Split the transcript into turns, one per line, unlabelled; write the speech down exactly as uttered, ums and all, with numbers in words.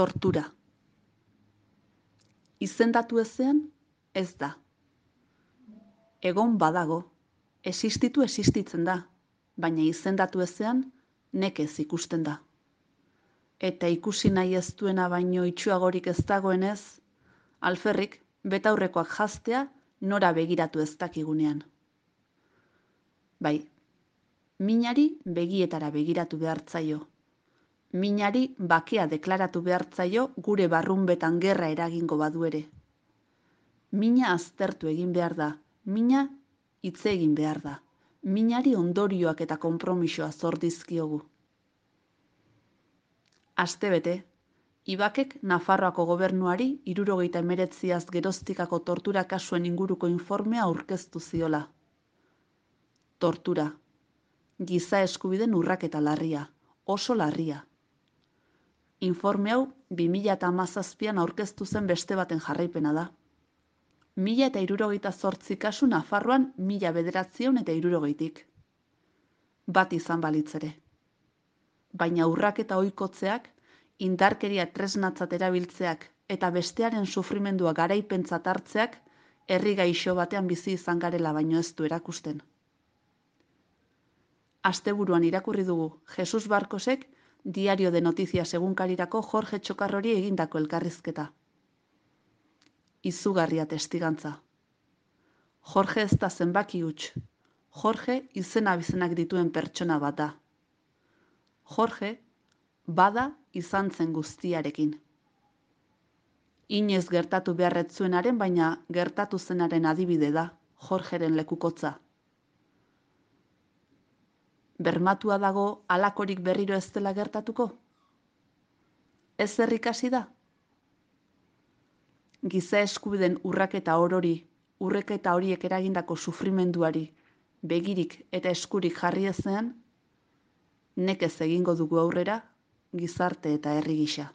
Tortura. Izendatu ezean, ez da. Egon badago, existitu existitzen da, baina izendatu ezean, nekez ikusten da. Eta ikusi nahi ez duena baino itxuagorik ez dagoenez, alferrik betaurrekoak jaztea nora begiratu ez dakigunean. Bai, minari begietara begiratu behartzaio. Minari bakea deklaratu behartzaio gure barrunbetan gerra eragingo badu ere. Mina aztertu egin behar da, mina hitz egin behar da. Minari ondorioak eta konpromisoa zor dizkiogu. Astebete, Ibakek Nafarroako gobernuari hirurogeita hemeretziaz geroztikako tortura kasuen inguruko informea aurkeztu ziola. Tortura. Giza eskubideen urraketa larria, oso larria. Informe hau bi mila hamazazpian aurkeztu zen beste baten jarraipena da. Mila eta hirurogeita zortzi kasu Nafarroan mila bederatziehun eta hirurogeitik. Bat izan balitz ere. Baina urraketa ohikotzeak, indarkeria tresnatzat erabiltzeak eta bestearen sufrimendua garaipentzat hartzeak herri gaixo batean bizi izan garela baino ez du erakusten. Asteburuan irakurri dugu Jesus Barkosek Diario de Noticias egunkarirako Jorge Txokarrori egindako elkarrizketa. Izugarria testigantza. Jorge ez da zenbaki huts. Jorge izena bizenak dituen pertsona bat da. Jorge bada izan zen guztiarekin. Inoiz gertatu beharretzuenaren, baina gertatu zenaren adibide da, Jorgeren lekukotza. Bermatua dago halakorik berriro ez dela gertatuko? Ez zer ikasi da? Giza eskubideen urraketa orori, urraketa horiek eragindako sufrimenduari, begirik eta eskurik jarri ezean, nekez egingo dugu aurrera, gizarte eta herri gisa.